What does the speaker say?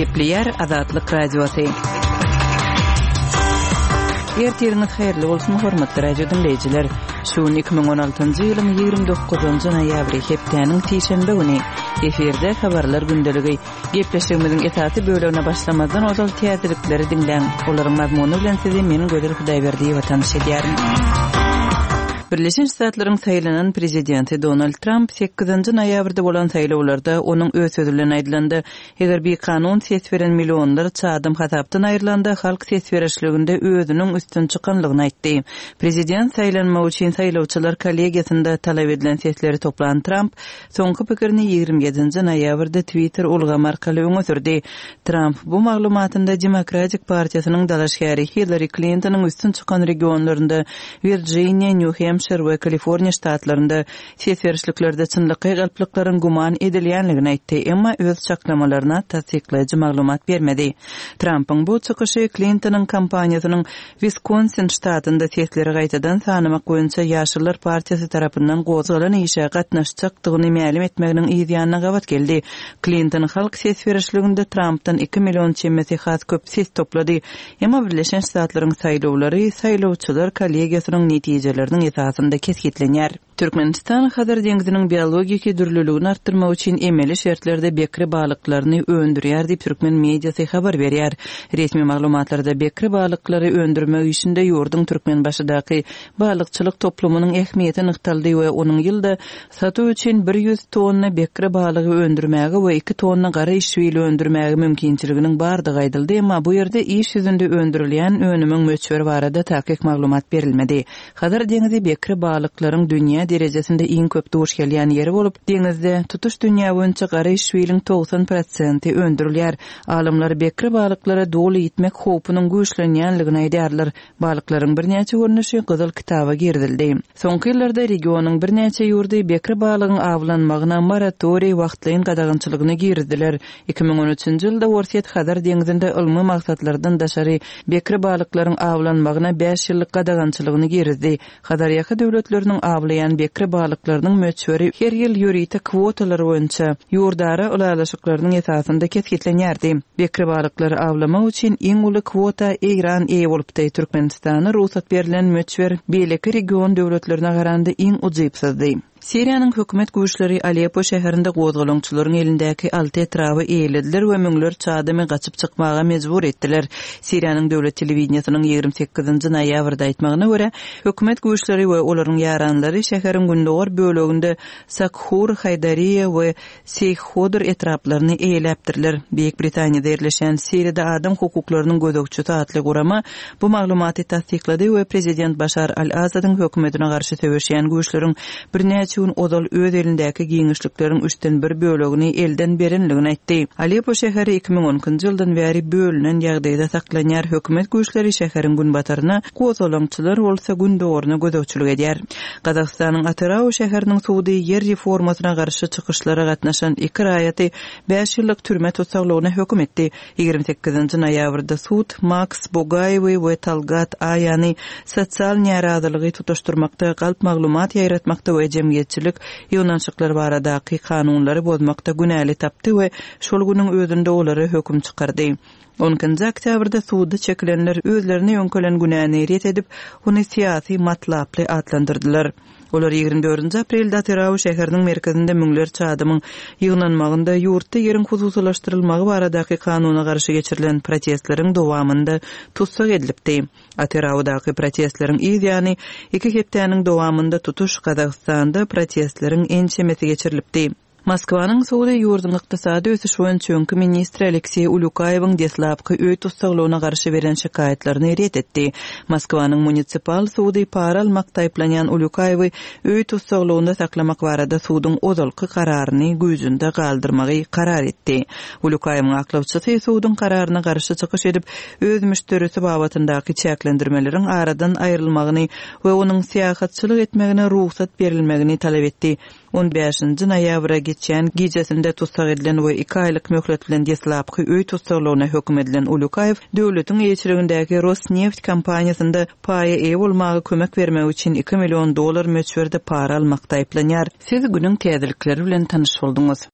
Gepleýär Azatlyk Radiosy. Ertiriňiz haýyrly bolsun, hormatly radio diňleýjiler. Şu gün 2016-njy ýylyň 29-njy noýabry, hepdäniň sişenbe güni. Efirde habarlar gündeligi. Gepleşigimiziň esasy bölegine başlamazdan ozal täzelikleri diňläň. Olaryň mazmuny bilen sizi men Gözel Hudaýberdiýewa tanyş edýärin. Birleşen Ştatlaryň saýlanan prezidenti Donald Tramp sekizinji noýabrda bolan saýlawlarda onuň öz sözi bilen aýdylanda, eger bikanun ses beren millionlarça adam hasapdan aýrylanda halk ses berişliginde özüniň üstün çykanlygyny aýtdy. Prezident saýlanmak üçin saýlawçylar kollegiýasynda talap edilen sesleri toplan Tramp Soňky pikirini 27-nji noýabrda Twitter ulgamy arkaly öňe sürdi. Tramp bu maglumatynda Demokratik partiýasynyň dalaşgäri Hillari Klintonyň üstün çykan regionlarynda, Wirjiniýa, Nýu-Hempşir we Kaliforniýa ştatlarynda ses berişliklerde çynlakaý galplyklaryň güman edilýänligini aýtdy, emma öz çaklamalaryna tassyklaýjy maglumat bermedi. Trampyň bu çykyşy Klintonyň kampaniýasynyň Wiskonsin ştatynda sesleri gaýtadan sanamak boýunça Ýaşyllar partiýasy tarapyndan gozgalan işe gatnaşjakdygyny mälim etmeginiň yz ýanyna gabat geldi. Klinton halk ses berişliginde Trampdan iki million çemesi has köp ses toplady. Emma Birleşen Ştatlaryň saýlawlary saýlawçylar kollegiýasynyň netijeleriniň esasynda kesgitlenýär. Türkmenistan Hazar deňziniň biologiki dürlüligini artdyrmak üçin emeli şertlerde bekre balyklaryny öndürýär diýip, türkmen mediasy habar berýär. Resmi maglumatlarda bekre balyklary öndürmek işinde ýurduň Türkmenbaşydaky balykçylyk toplumynyň ähmiýeti nygtaldy we onuň ýylda satuw üçin 100 tonna bekre balygy öndürmäge we iki tonna gara işbil öndürmäge mümkinçiliginiň bardygy aýdyldy, emma bu ýerde iş ýüzünde öndürilýän önümiň möçberi barada takyk maglumat berilmedi. Hazar deňzi bekre balyklaryň dünýä derejesinde iň köp duş gelýän ýeri bolup, deňizde tutuş dünýä boýunça gara işbiliň 90 prosenti öndürilýär. Alymlar bekre balyklara doly ýitmek howpunyň güýçlenýänligini aýdýarlar. Balyklaryň birnäçe görnüşi Gyzyl kitaba girizildi. Soňky ýyllarda regionyň birnäçe ýurdy bekre balygyň awlanmagyna moratoriý, wagtlaýyn gadagançylygyny girizdiler. 2013-nji ýylda Orsýet Hazar deňzinde ylmy maksatlardan daşary bekre balyklaryň awlanmagyna bäş ýyllyk gadagançylygyny girizdi. Hazarýaka döwletleriniň awlaýan bekre balyklarynyň möçberi her ýyl ýörite kwotalar boýunça ýurdara ylalaşyklarynyň esasynda kesgitlenýärdi. Bekre balyklary awlamak üçin iň uly kwota Eýran eýe bolupdy. Türkmenistana rugsat berlen möçber beýleki region döwletlerine garanda iň ujypsyzdy. Siriýanyň hökümet güýçleri Aleppo şäherinde gozgalaňçylaryň elindäki alty etraby eýelediler we müňlerçe adamy gaçyp çykmaga mejbur etdiler. Siriýanyň döwlet telewideniýesiniň 28-nji noýabrda aýtmagyna görä, hökümet güýçleri we olaryň ýaranlary şäheriň gündogar böleginde Sakhur, Haýdariýa we Seýh-Hodr etraplaryny eýeläpdirler. Beýik Britaniýada ýerleşýän Siriýada adam hukuklarynyň gözegçisi atly gurama bu maglumaty tassyklady we prezident Başar al-Asadyň hökümetine garşy söweşýän güýçleriň birnäçe gün ozal öz elindäki giňişlikleriň üçden bir bölegini elden berenligini aýtdy. Aleppo şäheri 2012-nji ýyldan bäri bölünen ýagdaýda saklanýar, hökümet güýçleri şäheriň günbataryna, gozgalaňçylar bolsa gündogaryna gözegçilik edýär. Gazagystanyň Atyrau şäheriniň sudy ýer reformasyna garşy çykyşlara gatnaşan iki raýaty bäş ýyllyk türme tussaglygyna höküm etdi. 28-nji noýabrda sud Maks Bogaýewi we Talgat Aýany sosial närazylygy tutaşdyrmakda, galp maglumat ýaýratmakda we jemgyýetçilik ýygnanyşyklary baradaky kanunlary bozmakda günäli tapdy we şol günüň özünde olara höküm çykardy. On ikinji oktýabrda suda çekilenler özlerine ýöňkelen günäni ret edip, ony syýasy matlaply atlandyrdylar. Olar 24-nji aprelde Atyrau şäheriniň merkezinde müňlerçe adamyň ýygnanmagynda ýurtda ýeriň hususylaşdyrylmagy baradaky kanuna garşy geçirilen protestleriň dowamynda tussag edilipdi. Atyraudaky protestleriň yz ýany iki hepdäniň dowamynda tutuş Gazagystanda protestleriň ençemesi geçirilipdi. Moskwanyň sudy ýurduň ykdysady ösüş boýunça öňki ministri Alekseý Ulýukaýewiň deslapky öý tussaglygyna garşy beren şikaýatlaryny ret etdi. Moskwanyň munisipal sudy para almakda aýyplanýan Ulýukaýewi öý tussaglygynda saklamak barada suduň ozalky kararyny güýjünde galdyrmagy karar etdi. Ulýukaýewiň aklawçysy suduň kararyna garşy çykyş edip, öz müşderisi babatyndaky çäklendirmeleriň aradan aýrylmagyny we onuň syýahatçylyk etmegine rugsat berilmegini talap etdi. On bäşinji noýabra geçýän gijesinde tussag edilen we iki aýlyk möhlet bilen deslapky öý tussaglygyna höküm edilen Ulýukaýew döwletiň eýeçiligindäki Rosneft kompaniýasynda paýa eýe bolmaga kömek bermek üçin iki million dollar möçberde para almakda aýyplanýar. Siz günüň täzelikleri bilen tanyş bolduňyz.